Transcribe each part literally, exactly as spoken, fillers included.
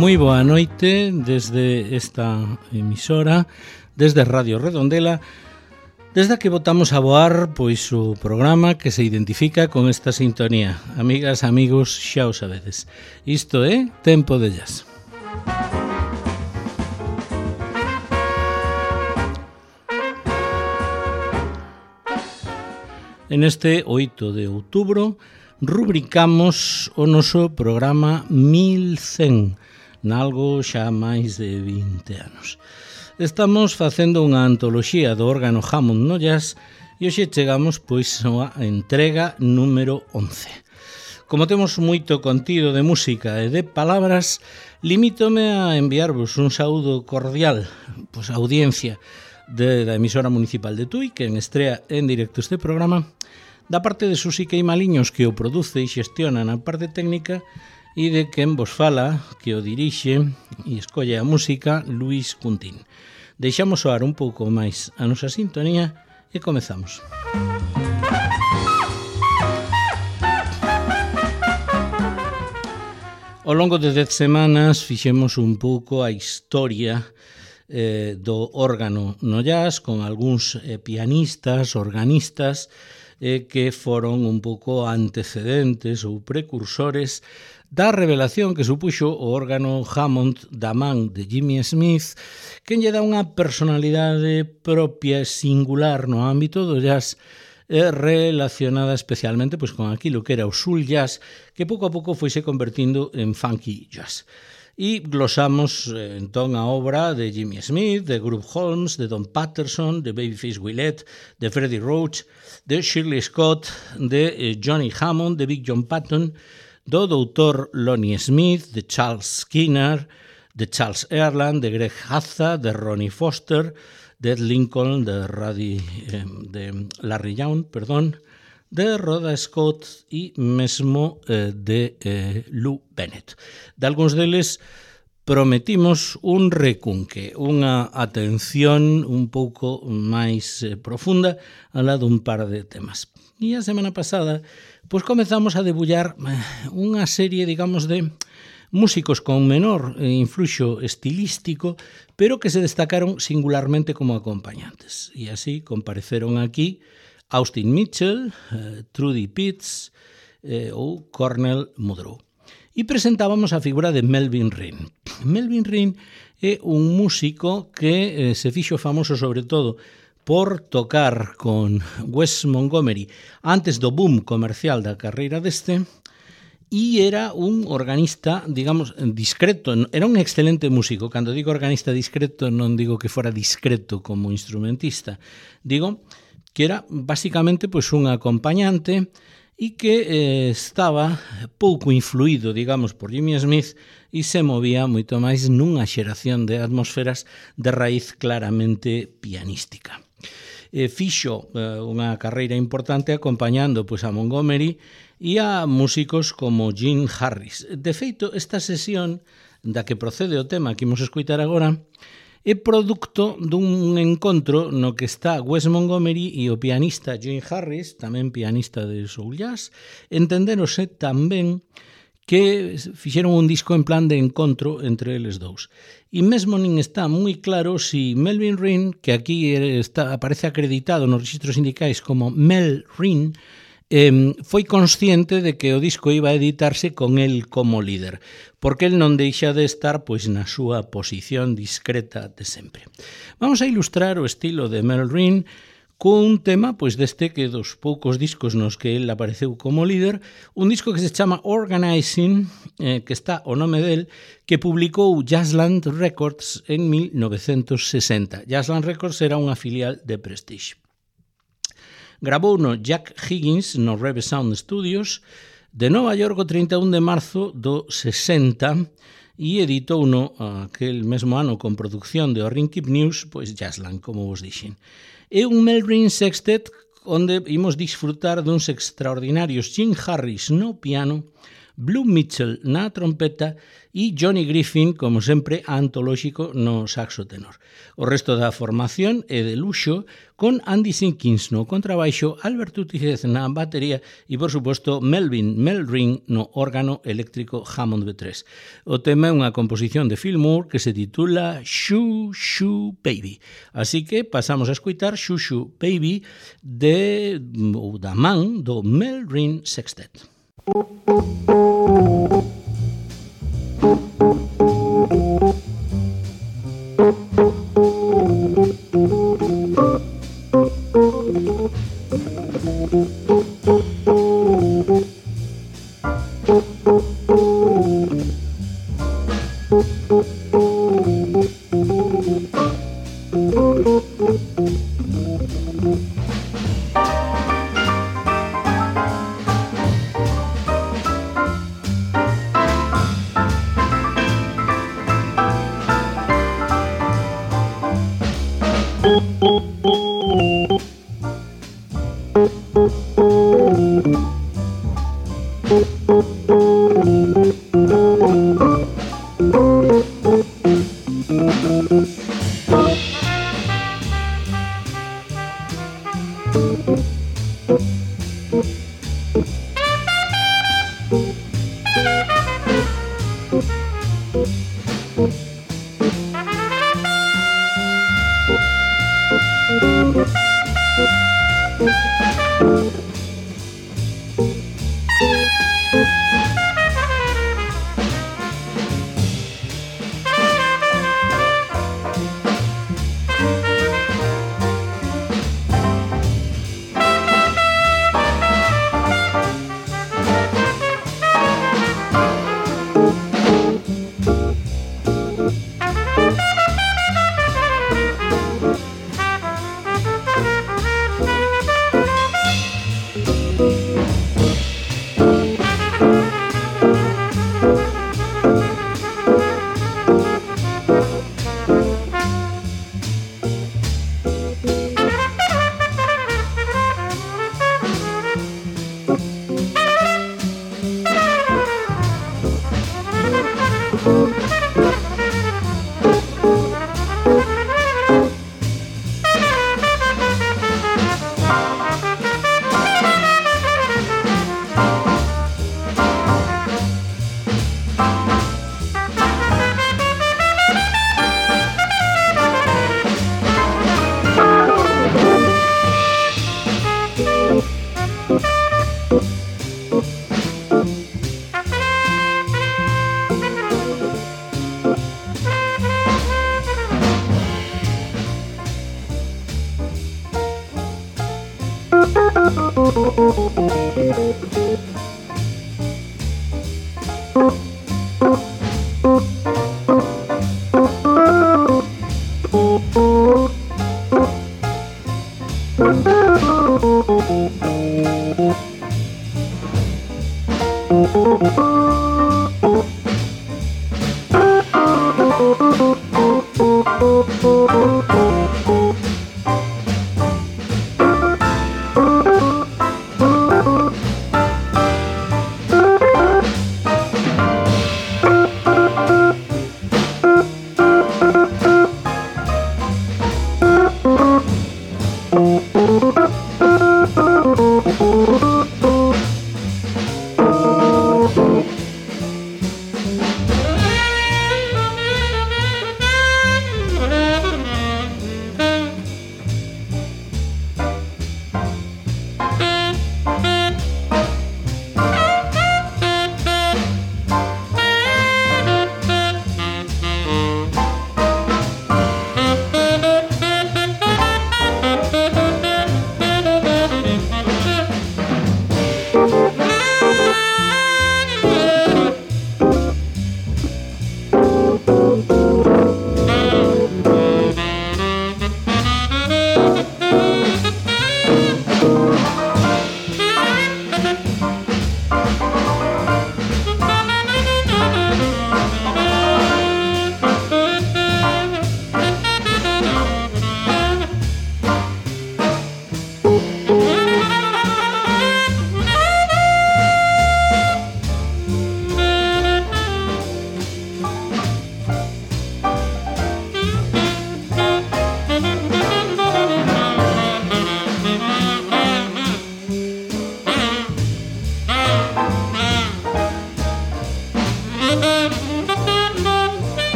Moi boa noite desde esta emisora, desde Radio Redondela, desde que botamos a voar pois o programa que se identifica con esta sintonía. Amigas, amigos, xa o sabedes. Isto é Tempo de Jazz. En este oito de outubro rubricamos o noso programa mil cen, nalgo xa máis de vinte anos. Estamos facendo unha antoloxía do órgano Hammond no jazz e hoxe chegamos pois á entrega número once. Como temos moito contido de música e de palabras, limítome a enviarvos un saúdo cordial pois a audiencia de, da emisora municipal de Tui, que en estrea en directo este programa, da parte de Susi Queimaliños, que o produce e xestiona na parte técnica, e de quen vos fala, que o dirixe e escolle a música, Luis Cuntín. Deixamos soar un pouco máis a nosa sintonía e comezamos. Ao longo de dez semanas fixemos un pouco a historia eh, do órgano no jazz, con algúns eh, pianistas, organistas, eh, que foron un pouco antecedentes ou precursores da revelación que supuxo o órgano Hammond da man de Jimmy Smith, que lle dá unha personalidade propia e singular no ámbito do jazz, eh, relacionada especialmente pois, con aquilo que era o soul jazz, que pouco a pouco foise convertindo en funky jazz. E glosamos eh, entón a obra de Jimmy Smith, de Groove Holmes, de Don Patterson, de Babyface Willette, de Freddie Roach, de Shirley Scott, de eh, Johnny Hammond, de Big John Patton, do doutor Lonnie Smith, de Charles Skinner, de Charles Earland, de Greg Hazza, de Ronnie Foster, de Ed Lincoln, de, Radi, eh, de Larry Young, perdón, de Rhoda Scott e mesmo eh, de eh, Lou Bennett. De algúns deles prometimos un recunque, unha atención un pouco máis eh, profunda a la dun par de temas. E a semana pasada pois comezamos a debullar unha serie, digamos, de músicos con menor influxo estilístico, pero que se destacaron singularmente como acompañantes. E así compareceron aquí Austin Mitchell, eh, Trudy Pitts eh, ou Cornell Muldrow. E presentábamos a figura de Melvin Rinn. Melvin Rinn é un músico que eh, se fixo famoso sobre todo por tocar con Wes Montgomery antes do boom comercial da carreira deste, e era un organista, digamos, discreto. Era un excelente músico. Cando digo organista discreto, non digo que fora discreto como instrumentista. Digo que era basicamente pois, un acompañante e que eh, estaba pouco influído, digamos, por Jimmy Smith e se movía moito máis nunha xeración de atmosferas de raíz claramente pianística. Eh, fixo eh, unha carreira importante acompañando pois, a Montgomery e a músicos como Gene Harris. De feito, esta sesión da que procede o tema que imos escoitar agora é producto dun encontro no que está Wes Montgomery e o pianista Gene Harris, tamén pianista de soul jazz, entenderose tamén que fixeron un disco en plan de encontro entre eles dous. E mesmo nin está moi claro si Melvin Rinn, que aquí está, aparece acreditado nos registros sindicais como Mel Rinn, Eh, foi consciente de que o disco iba a editarse con el como líder, porque el non deixa de estar pois na súa posición discreta de sempre. Vamos a ilustrar o estilo de Mel Rinn cun tema pois deste que dos poucos discos nos que el apareceu como líder, un disco que se chama Organizing, eh, que está o nome del, que publicou Jazzland Records en mil novecentos sesenta. Jazzland Records era unha filial de Prestige. Grabou no Jack Higgins no Reve Sound Studios de Nova York o trinta e un de marzo do sesenta e editou no aquel mesmo ano con producción de Orrin Keep News, pois Jazzland, como vos dixen. É un Mel Rinn sextet onde imos disfrutar duns extraordinarios Gene Harris no piano, Blue Mitchell na trompeta e Johnny Griffin, como sempre, antolóxico no saxo tenor. O resto da formación é de luxo, con Andy Simpkins no contrabaixo, Albert Utizez na batería e, por suposto, Melvin Meldring no órgano eléctrico Hammond B tres. O tema é unha composición de Phil Moore que se titula Shoo Shoo Baby. Así que pasamos a escutar Shoo Shoo Baby de, ou da man do Meldring Sextet.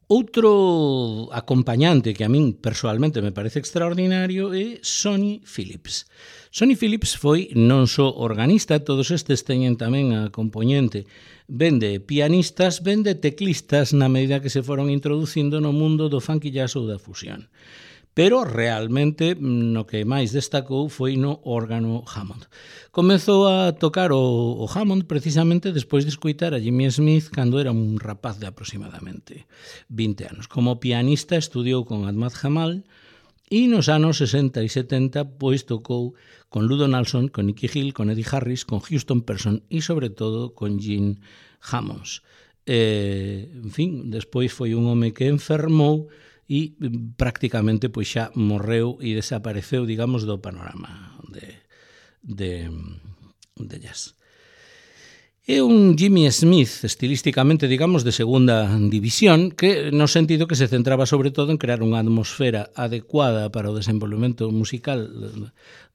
Outro acompañante que a min persoalmente me parece extraordinario é Sonny Phillips. Sonny Phillips foi non só organista, todos estes teñen tamén a componente ben de pianistas, ben de teclistas na medida que se foron introducindo no mundo do funk jazz ou da fusión. Pero realmente no que máis destacou foi no órgano Hammond. Comezou a tocar o, o Hammond precisamente despois de escoitar a Jimmy Smith cando era un rapaz de aproximadamente vinte anos. Como pianista estudiou con Ahmad Jamal e nos anos sesenta e setenta pois tocou con Lou Donaldson, con Nicky Hill, con Eddie Harris, con Houston Person e sobre todo con Gene Hammonds. Eh, en fin, despois foi un home que enfermou e prácticamente pois xa morreu e desapareceu, digamos, do panorama de, de, de jazz. É un Jimmy Smith estilísticamente, digamos, de segunda división, que no sentido que se centraba sobre todo en crear unha atmosfera adecuada para o desenvolvemento musical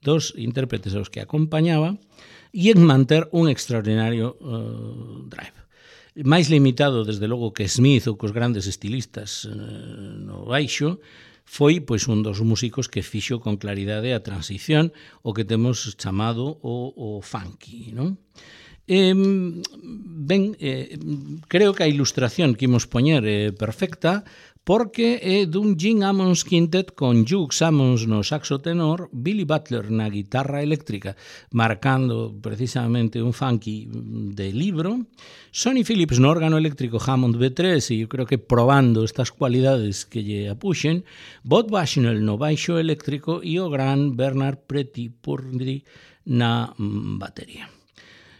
dos intérpretes aos que acompañaba e en manter un extraordinario uh, drive. Máis limitado, desde logo, que Smith ou cos grandes estilistas eh, no baixo, foi pois un dos músicos que fixo con claridade a transición o que temos chamado o, o funky, non? Eh, ben, eh, creo que a ilustración que imos poñer é perfecta, porque é dun Gene Ammons Quintet con Hugh Ammons no saxo tenor, Billy Butler na guitarra eléctrica, marcando precisamente un funky de libro, Sonny Phillips no órgano eléctrico Hammond B tres, e eu creo que probando estas cualidades que lle apuxen, Bob Bushnell no baixo eléctrico e o gran Bernard Pretty-Purdie na batería.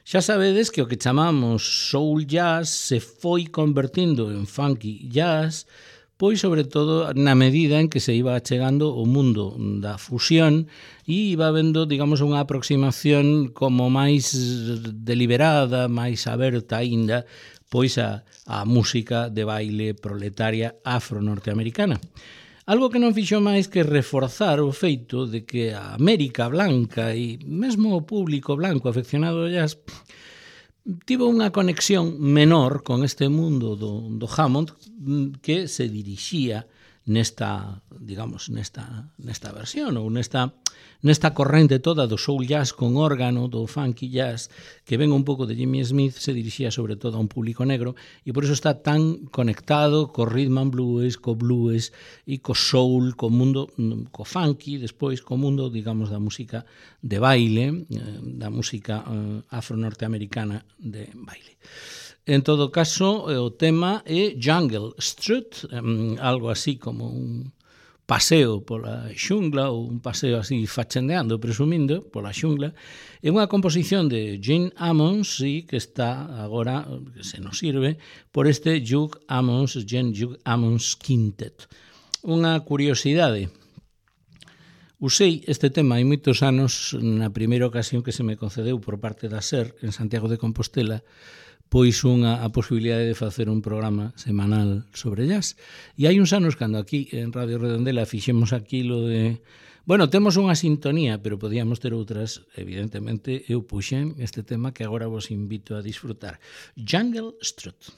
Xa sabedes que o que chamamos soul jazz se foi convertindo en funky jazz, pois sobre todo na medida en que se iba chegando o mundo da fusión e iba vendo, digamos, unha aproximación como máis deliberada, máis aberta aínda, pois a, a música de baile proletaria afro-norteamericana. Algo que non fixo máis que reforzar o feito de que a América blanca e mesmo o público blanco afeccionado ao jazz tivo unha conexión menor con este mundo do, do Hammond que se dirixía nesta, digamos, nesta, nesta versión ou nesta, nesta corrente toda do soul jazz con órgano, do funky jazz, que ven un pouco de Jimmy Smith, se dirixía sobre todo a un público negro e por eso está tan conectado co rhythm and blues, co blues e co soul, co mundo, co funky, despois co mundo, digamos, da música de baile, da música afro-norteamericana de baile. En todo caso, o tema é Jungle Strut, algo así como un paseo pola xungla ou un paseo así fachendeando, presumindo, pola xungla. É unha composición de Gene Ammons e que está agora, que se nos sirve, por este Hugh Ammons, Gene Hugh Ammons Quintet. Unha curiosidade. Usei este tema hai moitos anos na primeira ocasión que se me concedeu por parte da SER en Santiago de Compostela, pois unha a posibilidade de facer un programa semanal sobre jazz. E hai uns anos, cando aquí en Radio Redondela fixemos aquilo de... Bueno, temos unha sintonía, pero podíamos ter outras, evidentemente, eu puxen este tema que agora vos invito a disfrutar. Jungle Strut.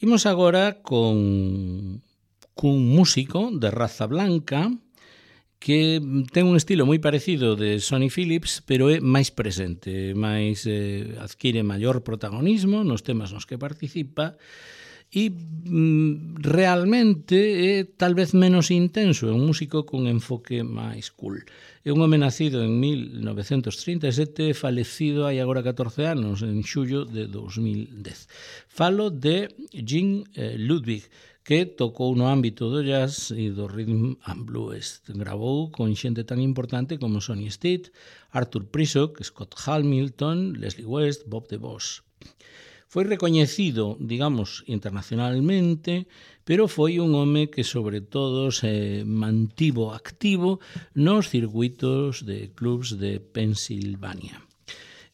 Imos agora con cun músico de raza blanca que ten un estilo moi parecido de Sonny Phillips, pero é máis presente, máis eh, adquire maior protagonismo nos temas nos que participa e mm, realmente é tal vez menos intenso, é un músico con enfoque máis cool. É un home nacido en mil novecentos trinta e sete, falecido hai agora catorce anos, en xullo de dos mil dez. Falo de Gene eh, Ludwig, que tocou no ámbito do jazz e do rhythm and blues. Gravou con xente tan importante como Sonny Stitt, Arthur Prisock, Scott Hamilton, Leslie West, Bob DeVos. Foi recoñecido, digamos, internacionalmente, pero foi un home que sobre todo se mantivo activo nos circuitos de clubs de Pensilvania.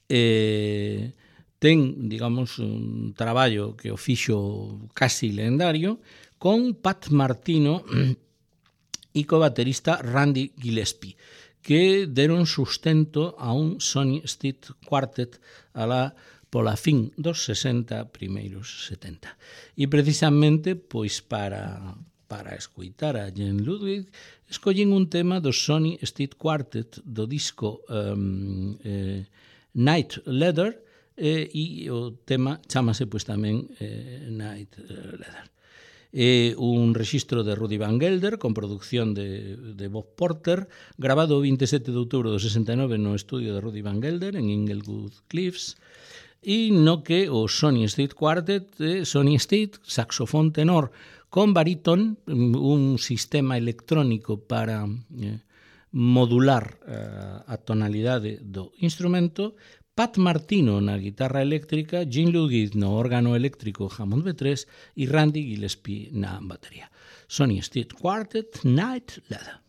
Eh, ten, digamos, un traballo que o fixo casi lendario con Pat Martino e co baterista Randy Gillespie, que deron sustento a un Sonny Stitt Quartet a la pola fin dos sesenta, primeiros setenta. E precisamente, pois para, para escoitar a Gene Ludwig, escollen un tema do Sonny Stitt Quartet do disco um, eh, Night Leather, eh, e o tema chamase pois tamén eh, Night Leather. É un rexistro de Rudy Van Gelder con producción de, de Bob Porter, grabado o vinte e sete de outubro do sesenta e nove no estudio de Rudy Van Gelder en Inglewood Cliffs, e no que o Sonny Stitt Quartet, eh, Sonny Stitt, saxofón tenor con barítón, un sistema electrónico para eh, modular eh, a tonalidade do instrumento, Pat Martino na guitarra eléctrica, Gene Ludwig no órgano eléctrico Hammond B tres e Randy Gillespie na batería. Sonny Stitt Quartet, Night Leather.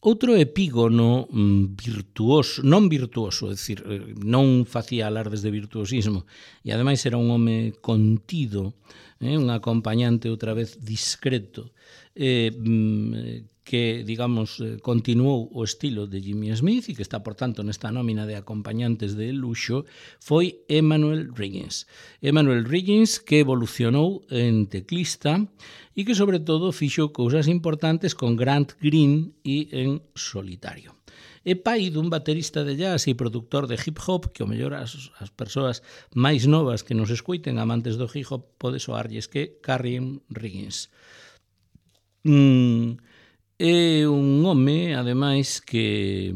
Outro epígono virtuoso, non virtuoso, é dicir, non facía alardes de virtuosismo, e ademais era un home contido, eh, un acompañante outra vez discreto, eh, que, digamos, continuou o estilo de Jimmy Smith e que está, por tanto, nesta nómina de acompañantes de luxo, foi Emanuel Riggins. Emanuel Riggins, que evolucionou en teclista e que, sobre todo, fixo cousas importantes con Grant Green e en solitario. É pai dun baterista de jazz e productor de hip-hop que, ao mellor, as, as persoas máis novas que nos escoiten, amantes do hip-hop, pode soarlles que Carrion Riggins. Mm, é un home, ademais, que...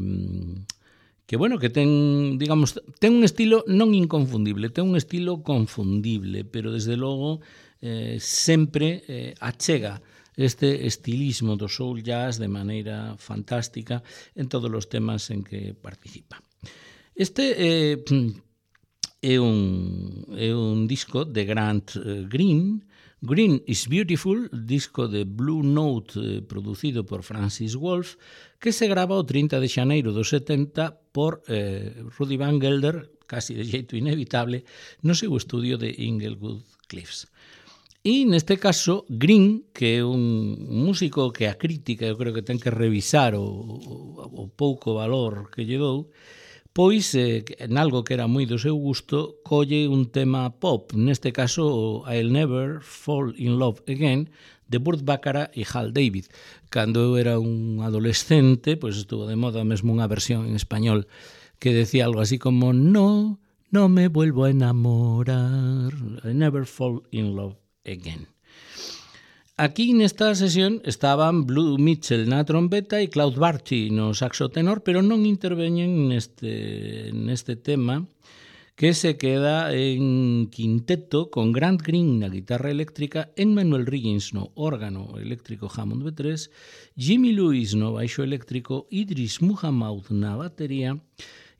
que, bueno, que ten, digamos, ten un estilo non inconfundible, ten un estilo confundible, pero, desde logo, eh, sempre eh, achega este estilismo do soul jazz de maneira fantástica en todos os temas en que participa. Este eh, é, un, é un disco de Grant Green. Green is Beautiful, disco de Blue Note eh, producido por Francis Wolff, que se grava o trinta de xaneiro do setenta por eh, Rudy Van Gelder, casi de xeito inevitable, no seu estudio de Inglewood Cliffs. E neste caso, Green, que é un músico que a crítica eu creo que ten que revisar o, o, o pouco valor que lle dou, pois, eh, en algo que era moi do seu gusto, colle un tema pop, neste caso I'll Never Fall in Love Again, de Burt Bacharach e Hal David. Cando eu era un adolescente, pois estuvo de moda mesmo unha versión en español que decía algo así como no, no me vuelvo a enamorar, I'll never fall in love again. Aquí nesta sesión estaban Blue Mitchell na trompeta e Claude Barty no saxo tenor, pero non interveñen neste, neste tema, que se queda en quinteto con Grant Green na guitarra eléctrica, Emanuel Riggins no órgano eléctrico Hammond B tres, Jimmy Lewis no baixo eléctrico, Idris Muhammad na batería,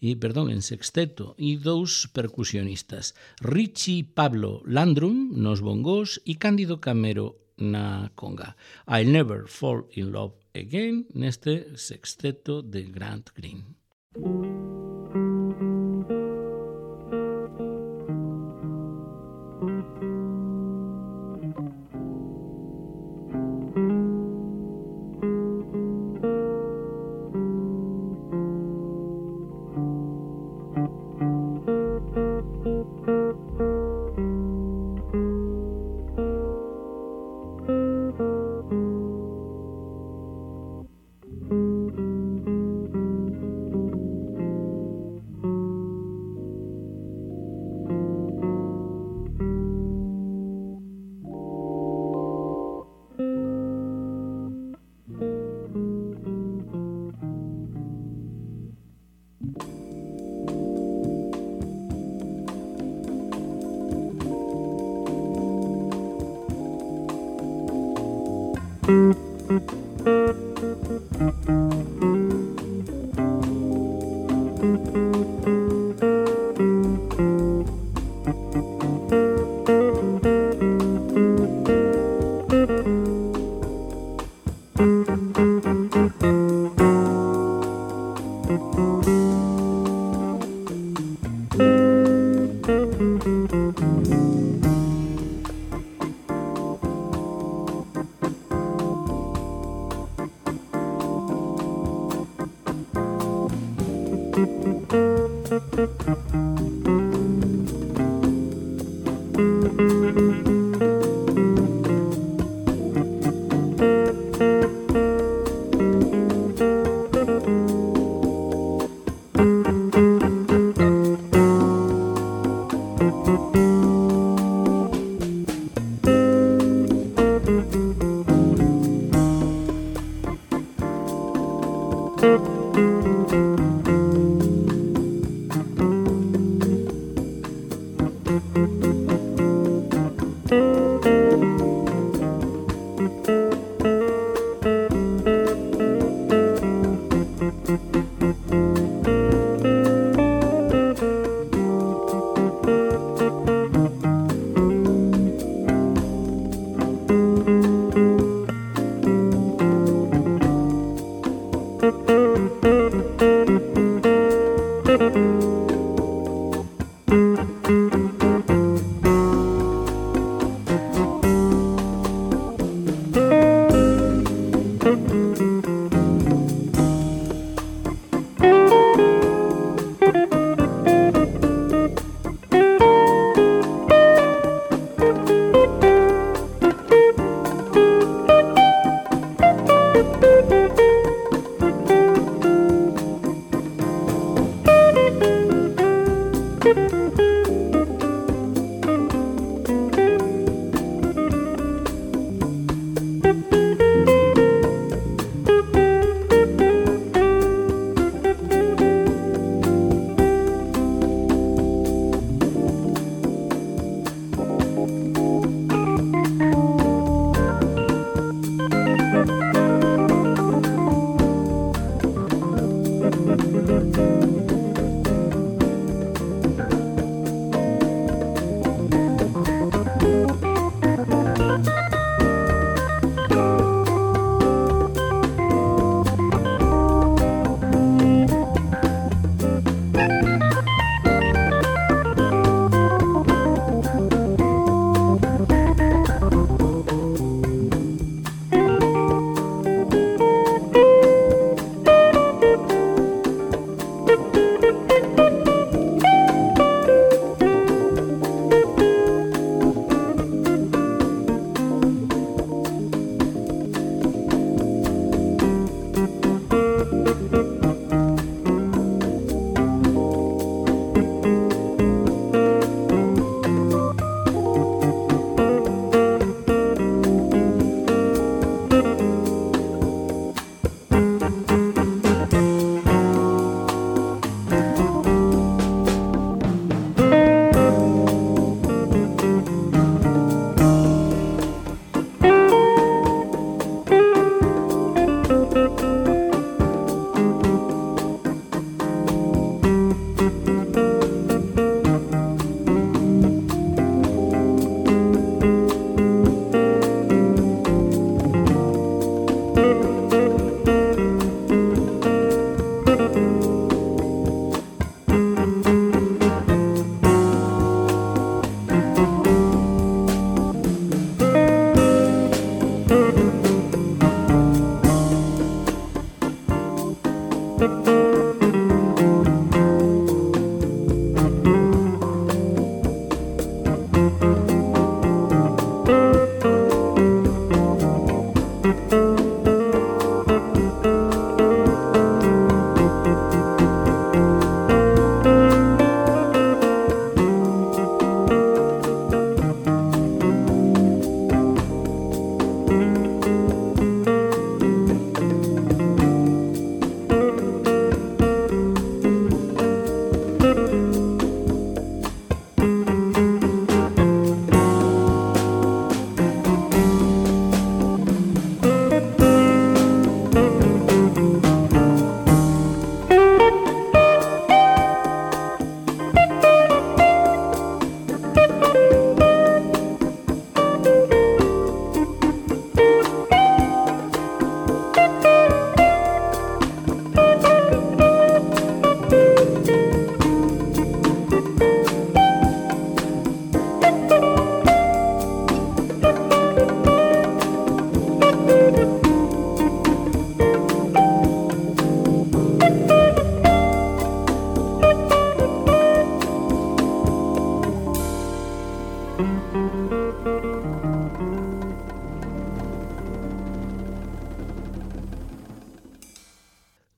e, perdón, en sexteto, e dous percusionistas, Richie Pablo Landrum nos bongós e Cándido Camero na conga. I'll Never Fall in Love Again, neste sexteto de Grant Green. Thank you.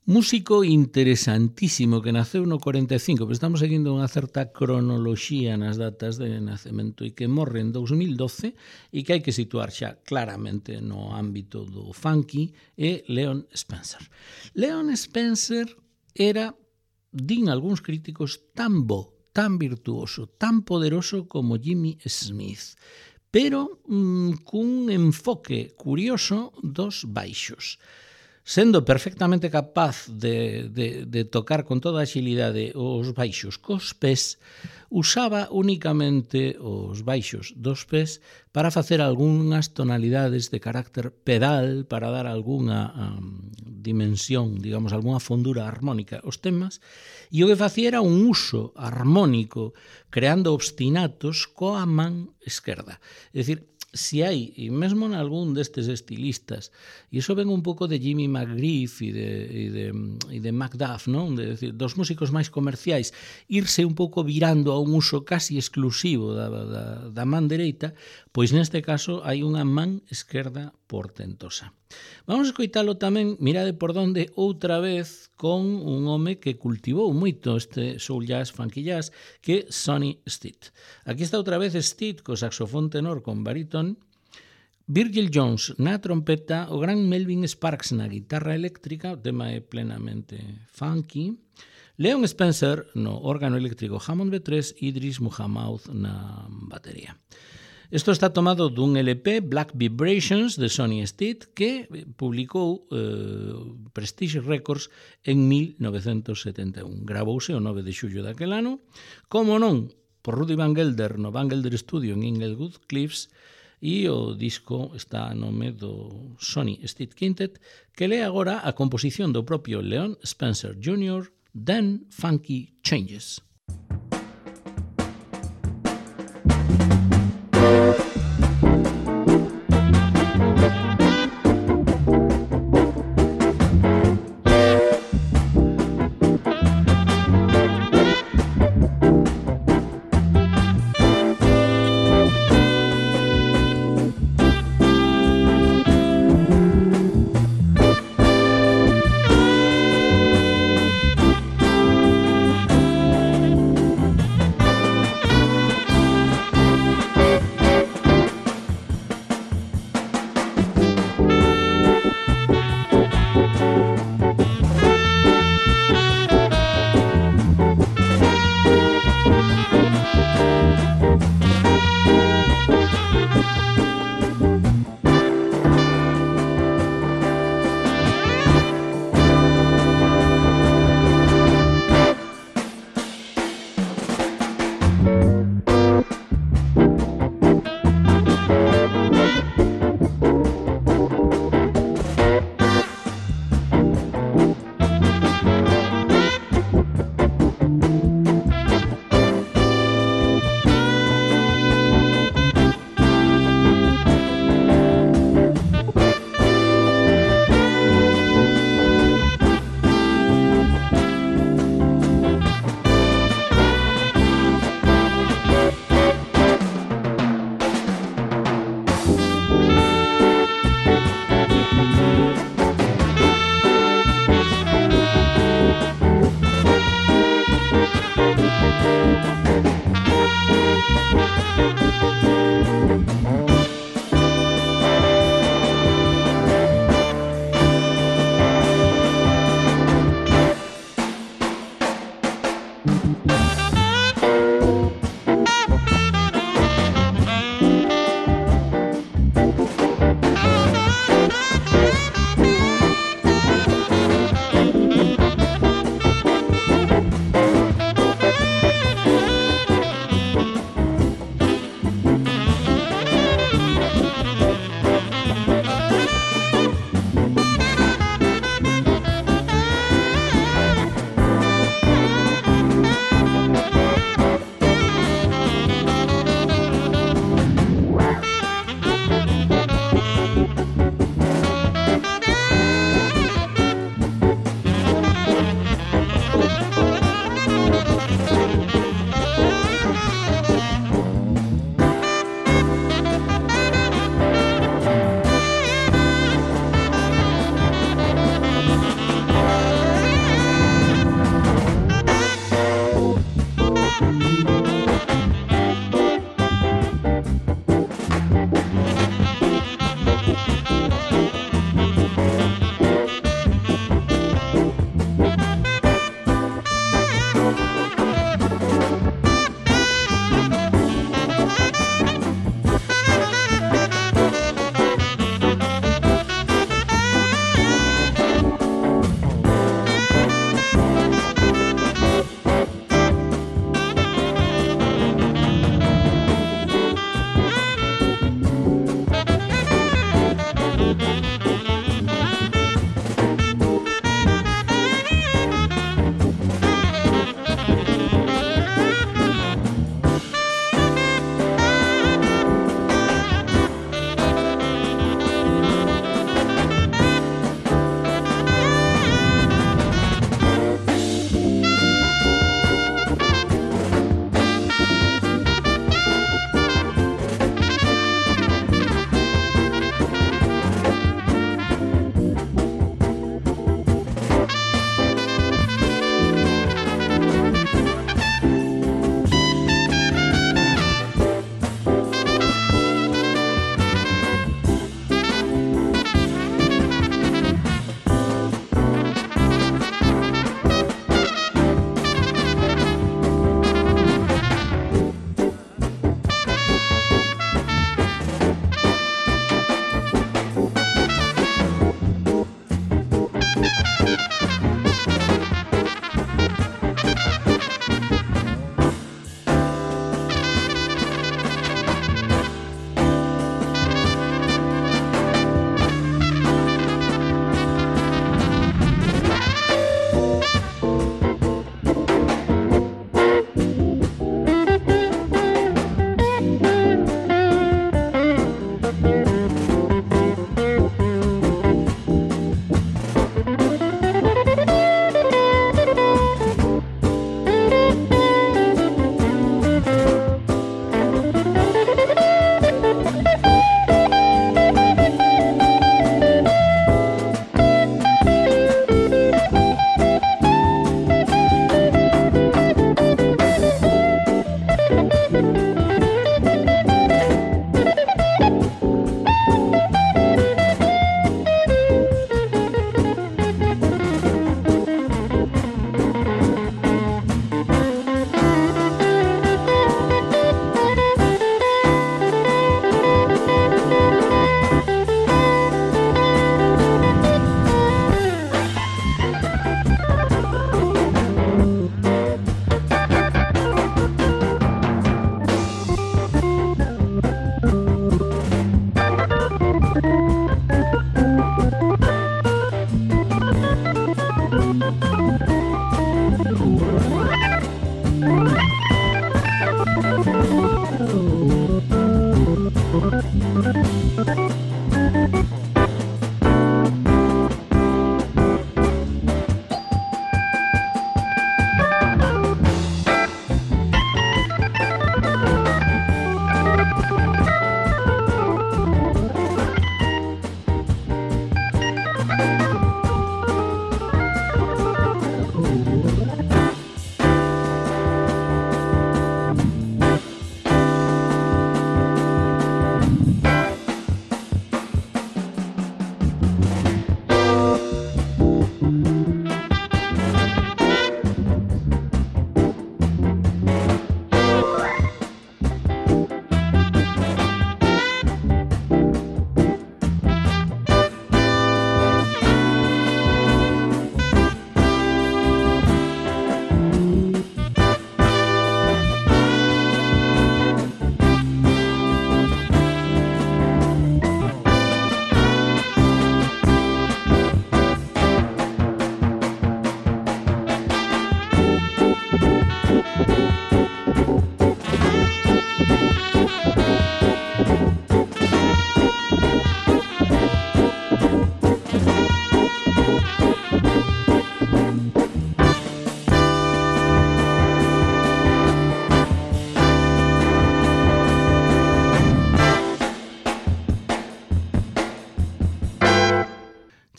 Músico interesantísimo que naceu no cuarenta e cinco, pero estamos seguindo unha certa cronoloxía nas datas de nacemento e que morre en dous mil doce e que hai que situar xa claramente no ámbito do funky é Leon Spencer. Leon Spencer era, din algúns críticos, tan bo, tan virtuoso, tan poderoso como Jimmy Smith, pero mmm, cun enfoque curioso dos baixos. Sendo perfectamente capaz de, de, de tocar con toda a axilidade os baixos cos pés, usaba únicamente os baixos dos pés para facer algunhas tonalidades de carácter pedal, para dar algunha um, dimensión, digamos, algunha fondura armónica aos temas, e o que facía era un uso armónico, creando obstinatos coa man esquerda. É dicir, si hai, e mesmo en algún destes estilistas, e iso ven un pouco de Jimmy McGriff e de, e de, e de Macduff, non? De decir, dos músicos máis comerciais, irse un pouco virando a un uso casi exclusivo da, da, da man dereita, pois neste caso hai unha man esquerda portentosa. Vamos a escoitalo tamén, mirade por donde, outra vez con un home que cultivou moito este soul jazz, funky jazz, que é Sonny Stitt. Aquí está outra vez Stitt co saxofón tenor con baríton, Virgil Jones na trompeta, o gran Melvin Sparks na guitarra eléctrica, o tema é plenamente funky, Leon Spencer no órgano eléctrico Hammond B tres, Idris Muhammad na batería. Isto está tomado dun L P, Black Vibrations, de Sonny Stitt, que publicou eh, Prestige Records en mil novecentos setenta e un. Gravouse o nove de xullo daquel ano, como non, por Rudy Van Gelder no Van Gelder Studio en Inglewood Cliffs, e o disco está a nome do Sonny Stitt Quintet, que lee agora a composición do propio Leon Spencer júnior, Then Funky Changes.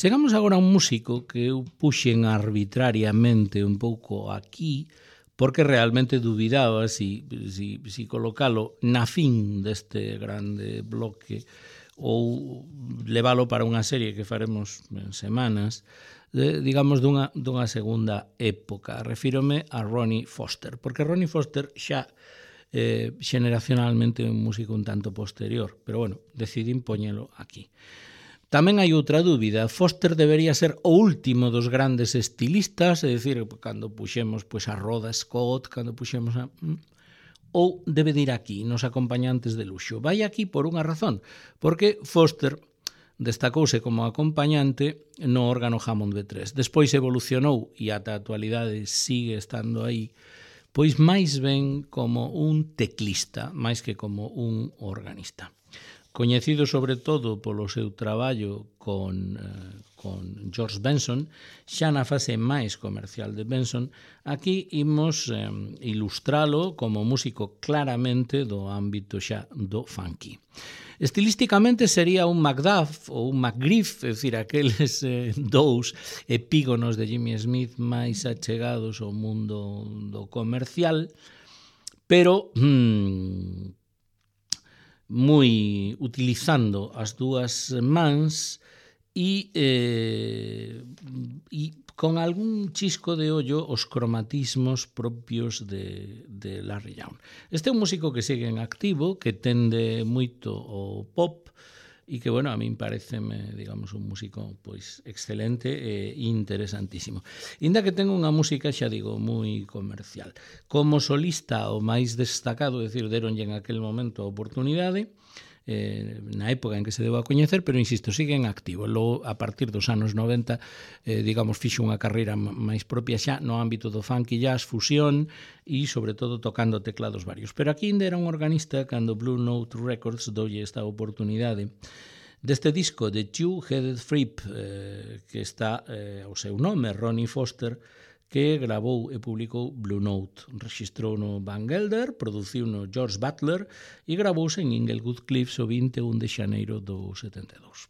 Chegamos agora a un músico que eu puxen arbitrariamente un pouco aquí, porque realmente dubidaba si, si, si colocalo na fin deste grande bloque ou leválo para unha serie que faremos en semanas, de, digamos, dunha, dunha segunda época. Refírome a Ronnie Foster, porque Ronnie Foster xa eh, xeneracionalmente é un músico un tanto posterior, pero bueno, decidín poñelo aquí. Tamén hai outra dúbida. Foster debería ser o último dos grandes estilistas, é dicir, cando puxemos pois, a Rhoda Scott, cando puxemos a... ou debe de ir aquí, nos acompañantes de luxo. Vai aquí por unha razón, porque Foster destacouse como acompañante no órgano Hammond B tres. Despois evolucionou, e ata a actualidade sigue estando aí, pois máis ben como un teclista, máis que como un organista. Coñecido sobre todo polo seu traballo con, eh, con George Benson, xa na fase máis comercial de Benson, aquí imos eh, ilustralo como músico claramente do ámbito xa do funky. Estilísticamente sería un Macduff ou un McGriff, é dicir, aqueles eh, dous epígonos de Jimmy Smith máis achegados ao mundo do comercial, pero... Hmm, moi utilizando as dúas mans e, eh, e con algún chisco de ollo os cromatismos propios de, de Larry Young. Este é un músico que segue en activo, que tende moito o pop e que, bueno, a min pareceme, digamos, un músico pois excelente e interesantísimo. Inda que ten unha música, xa digo, moi comercial. Como solista, o máis destacado, é dicir, deronlle en aquel momento a oportunidade, eh, na época en que se deu a coñecer, pero, insisto, sigue en activo. Logo, a partir dos anos noventa, eh, digamos, fixo unha carreira máis propia xa no ámbito do funky jazz, fusión e, sobre todo, tocando teclados varios. Pero aquí ainda era un organista cando Blue Note Records doulle esta oportunidade deste disco de Two-Headed Fripp, eh, que está eh, o seu nome, Ronnie Foster, que gravou e publicou Blue Note. Registrou no Van Gelder, produciu no George Butler e gravouse en Inglewood Cliffs o vinte e un de xaneiro do setenta e dous.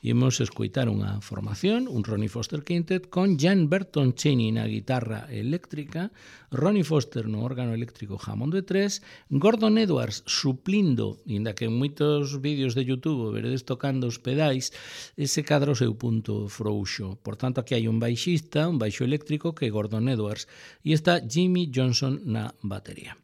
Imos escoitar unha formación, un Ronnie Foster Quintet, con Jan Burton Cheney na guitarra eléctrica, Ronnie Foster no órgano eléctrico Hammond B tres, Gordon Edwards suplindo, inda que en moitos vídeos de YouTube veredes tocando os pedais, ese cadra o seu punto frouxo. Por tanto, aquí hai un baixista, un baixo eléctrico, que é Gordon Edwards, e está Jimmy Johnson na batería.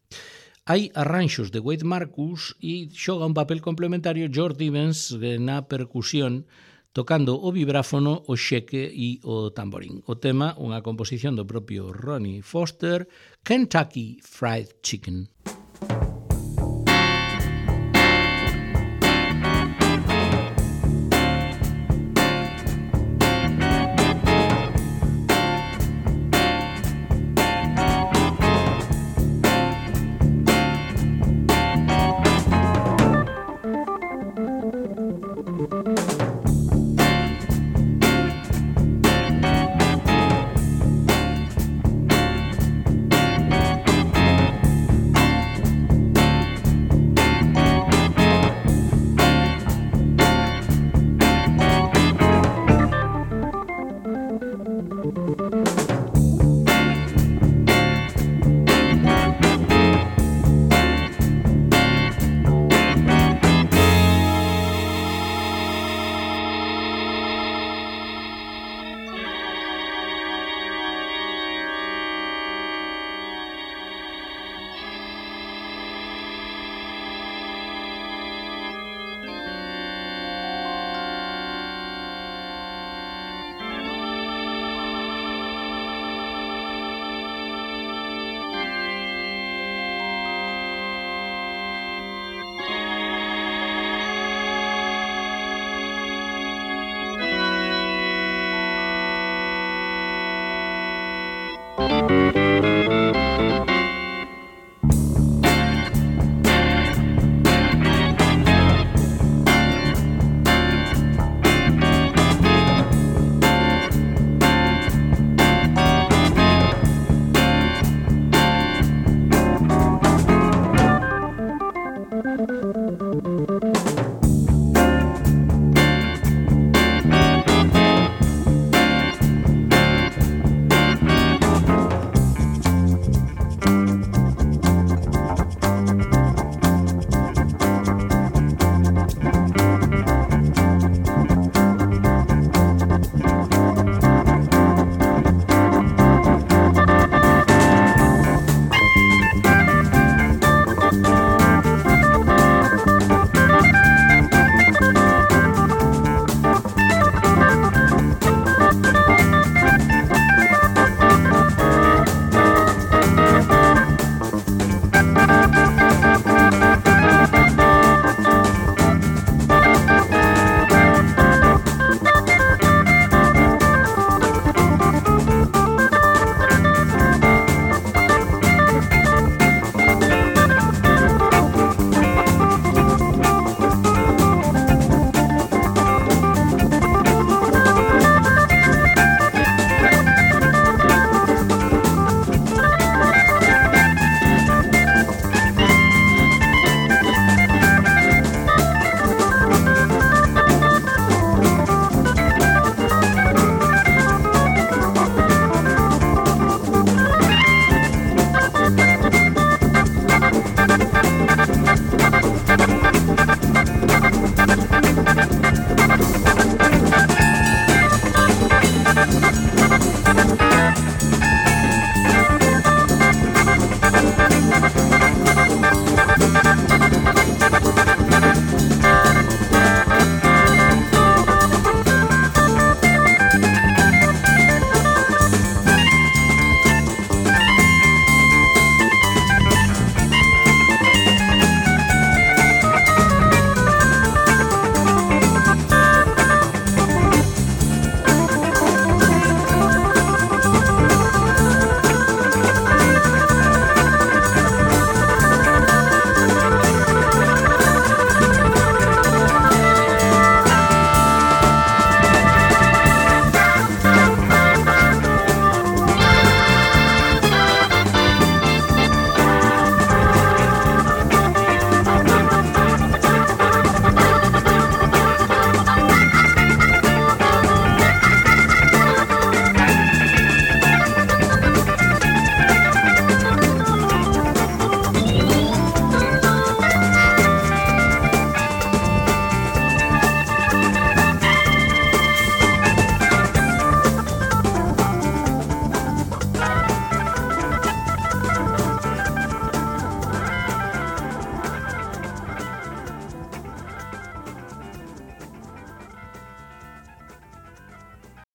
Hai arranxos de Wade Marcus e xoga un papel complementario George Evans na percusión, tocando o vibráfono, o xeque e o tamborín. O tema, unha composición do propio Ronnie Foster, Kentucky Fried Chicken.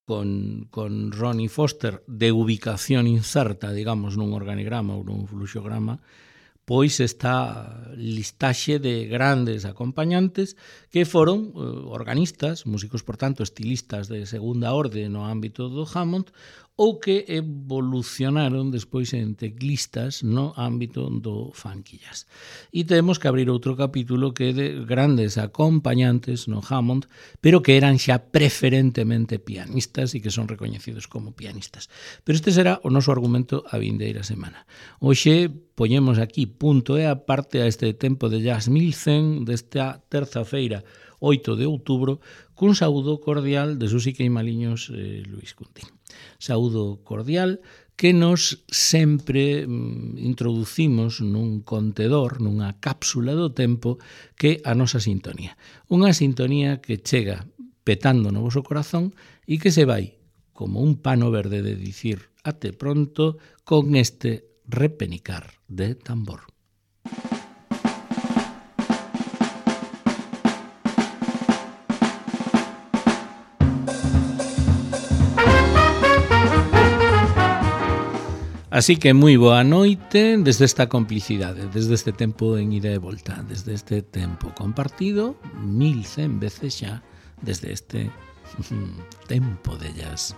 con, con Ronnie Foster de ubicación incerta, digamos, nun organigrama ou nun fluxograma, pois esta listaxe de grandes acompañantes que foron eh, organistas, músicos, por tanto, estilistas de segunda orde no ámbito do Hammond, ou que evolucionaron despois en teclistas no ámbito do funky jazz. E temos que abrir outro capítulo que é de grandes acompañantes no Hammond, pero que eran xa preferentemente pianistas e que son recoñecidos como pianistas. Pero este será o noso argumento a vindeira semana. Hoxe poñemos aquí punto e aparte a este tempo de jazz mil cen desta terza feira, oito de outubro, cun saúdo cordial de Susi Queimaliños e Luis Cuntín. Saúdo cordial que nos sempre mm, introducimos nun contedor, nunha cápsula do tempo que a nosa sintonía. Unha sintonía que chega petando no voso corazón e que se vai como un pano verde de dicir até pronto con este repenicar de tambor. Así que moi boa noite desde esta complicidade, desde este tempo en ida e volta, desde este tempo compartido, mil cen veces xa, desde este tempo de jazz.